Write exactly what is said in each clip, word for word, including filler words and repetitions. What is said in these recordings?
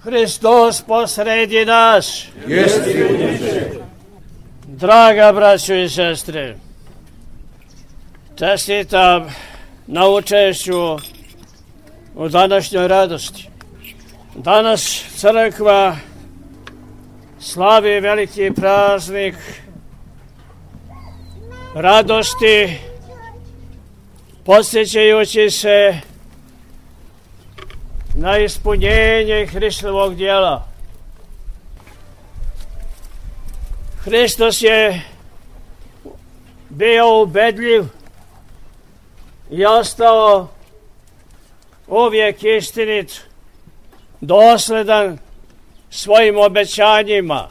Hristos posredi nas. Jesti uliče. Draga braćo i sestre, čestitam na učešću u današnjoj radosti. Danas crkva slavi veliki praznik radosti, podsjećajući se na ispunjenje Hristovog djela. Hristos je bio ubedljiv i ostao uvijek istinit, dosledan svojim obećanjima.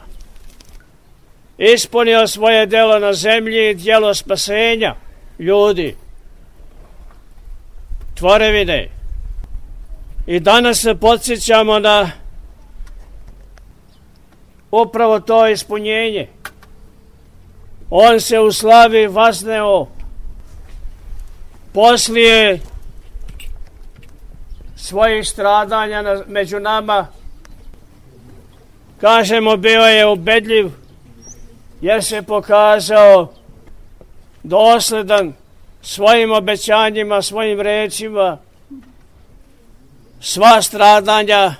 Ispunio svoje djelo na zemlji, djelo spasenja ljudi, tvorevine. I danas se podsjećamo na upravo to ispunjenje. On se u slavi vazneo poslije svojih stradanja na, među nama. Kažemo, bio je ubedljiv jer se pokazao dosledan svojim obećanjima, svojim rečima. Sva stradanja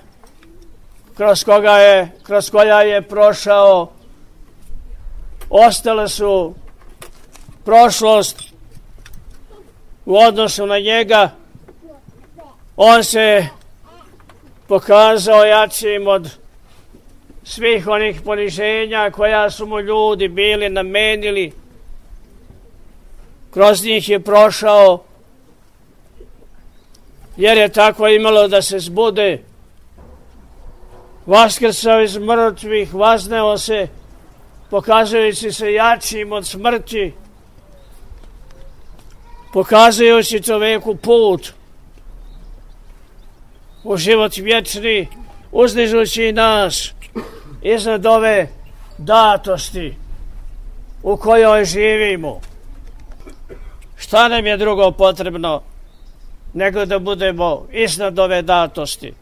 kroz koga je, kroz koja je prošao ostale su prošlost u odnosu na njega. On se pokazao jačim od svih onih poniženja koja su mu ljudi bili namenili. Kroz njih je prošao jer je tako imalo da se zbude. Vaskrsao iz mrtvih, vazneo se, pokazujući se jačim od smrti, pokazujući čoveku put u život vječni, uzdižući nas iznad ove datosti u kojoj živimo. Šta nam je drugo potrebno nego da budemo iznad ove datosti,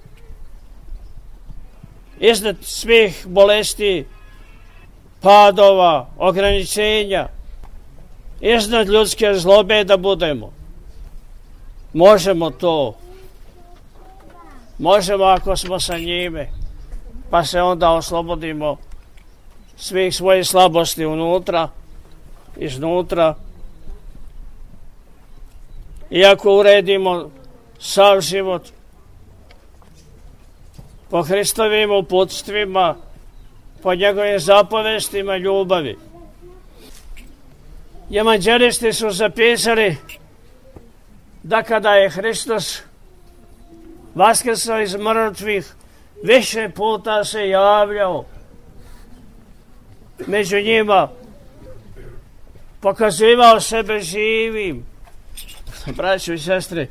iznad svih bolesti, padova, ograničenja, iznad ljudske zlobe da budemo. Možemo to. Možemo ako smo sa njime, pa se onda oslobodimo svih svojih slabosti unutra, iznutra. I ako uredimo sav život po Hristovim uputstvima, po njegovim zapovestima ljubavi. Evanđelisti su zapisali da kada je Hristos vaskrsao iz mrtvih, više puta se javljao među njima, pokazivao sebe živim. Braćo i sestre,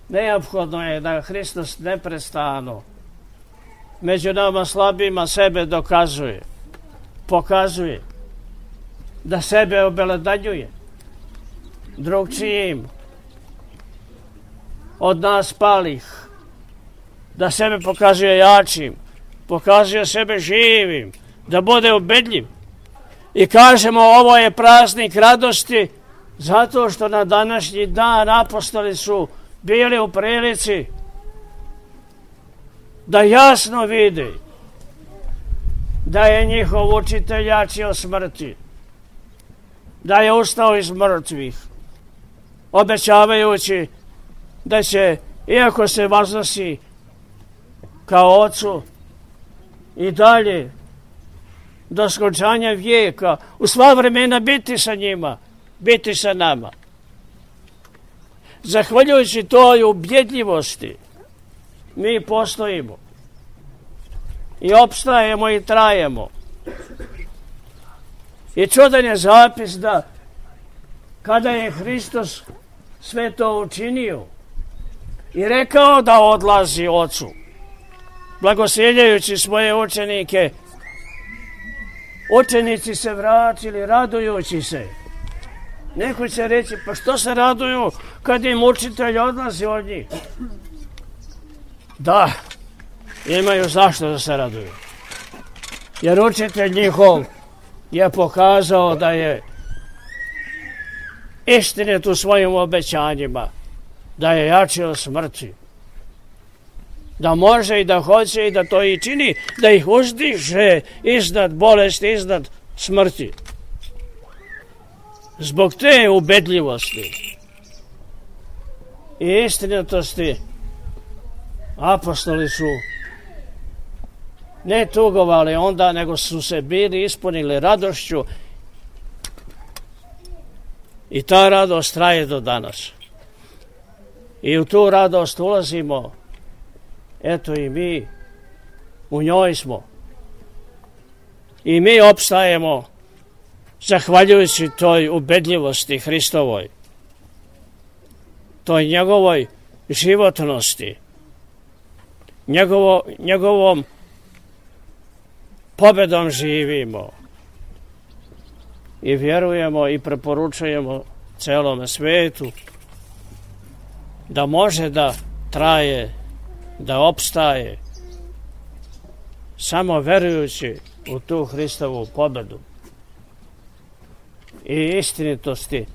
neophodno je da Hristos neprestano među nama slabima sebe dokazuje, pokazuje, da sebe obelodanjuje drugčijim od nas palih, da sebe pokazuje jačim, pokazuje sebe živim, da bude ubedljiv. I kažemo, ovo je praznik radosti zato što na današnji dan apostoli su bili u prilici da jasno vide da je njihov učitelj jači od smrti, da je ustao iz mrtvih, obećavajući da će, iako se vaznosi kao ocu, i dalje do skončanja vijeka u sva vremena biti sa njima, biti sa nama. Zahvaljujući toj ubjedljivosti mi postojimo i opstajemo i trajemo. I čudan je zapis da kada je Hristos sve to učinio i rekao da odlazi Ocu, blagosiljajući svoje učenike, učenici se vratili radujući se. Neko će reći, pa što se raduju kad im učitelj odlazi od njih? da imaju zašto da se raduju. Jer učitelj njihov je pokazao da je istinit u svojim obećanjima, da je jači od smrti, da može i da hoće i da to i čini, da ih uzdiže iznad bolesti, iznad smrti. Zbog te ubedljivosti i istinitosti apostoli su ne tugovali onda, nego su se bili ispunili radošću i ta radost traje do danas. I u tu radost ulazimo, eto i mi, u njoj smo. I mi opstajemo zahvaljujući toj ubedljivosti Hristovoj, toj njegovoj životnosti, njegovo, njegovom pobedom živimo i vjerujemo i preporučujemo celome svetu da može da traje, da opstaje samo verujući u tu Hristovu pobedu i istinitosti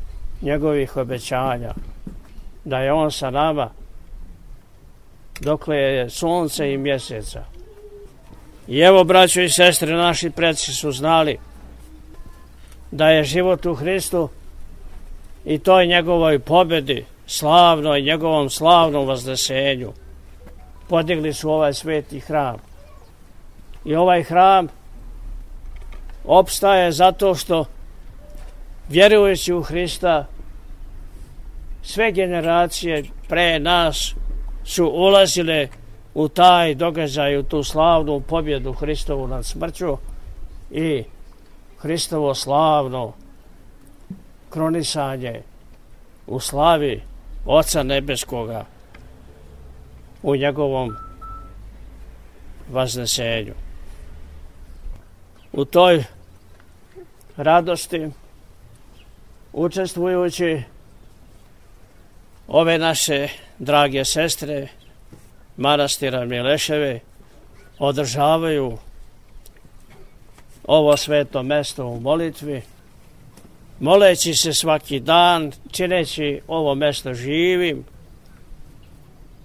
njegovih obećanja, da je on sa nama dokle je sunce i mjeseca. I evo, braćo i sestre, naši preci su znali da je život u Hristu i toj njegovoj pobedi, slavnoj, njegovom slavnom vaznesenju, podigli su ovaj sveti hram. I ovaj hram opstaje zato što, vjerujući u Hrista, sve generacije pre nas su ulazile u taj događaj, u tu slavnu pobjedu Hristovu nad smrću i Hristovo slavno kronisanje u slavi Oca Nebeskoga u njegovom vaznesenju. U toj radosti učestvujući ove naše drage sestre manastira Mileševe održavaju ovo sveto mesto u molitvi, moleći se svaki dan, čineći ovo mesto živim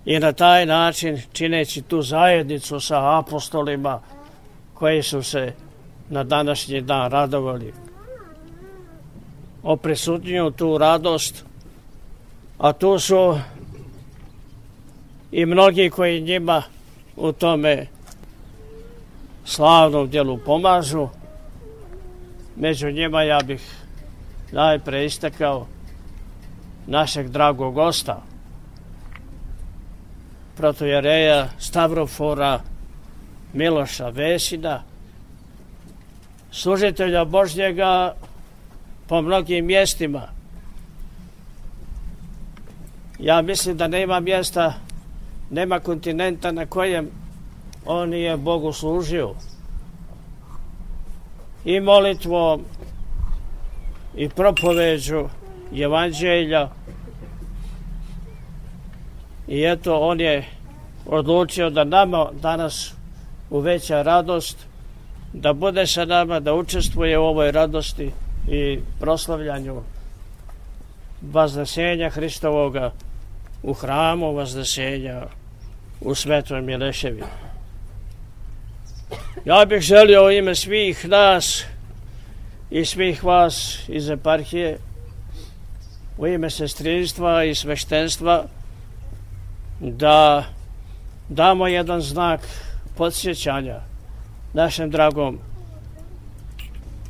i na taj način čineći tu zajednicu sa apostolima koji su se na današnji dan radovali. Oprisutnjuju tu radost, a tu su i mnogi koji njima u tome slavnom djelu pomažu. Među njima ja bih najpre istakao našeg dragog gosta, protojereja Stavrofora Miloša Vesina, služitelja Božjega po mnogim mjestima. Ja mislim da nema mjesta, nema kontinenta na kojem on nije Bogu služio. I molitvom, i propoveđu evanđelja. I eto, on je odlučio da nama danas uveća radost, da bude sa nama, da učestvuje u ovoj radosti i proslavljanju vaznesenja Hristovoga u hramu vaznesenja u Svetoj Mileševi. Ja bih želio u ime svih nas i svih vas iz eparhije, u ime sestrinstva i sveštenstva, da damo jedan znak podsjećanja našem dragom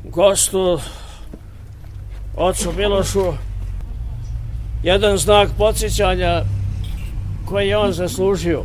gostu, ocu Milošu, jedan znak podsjećanja koji je on zaslužio.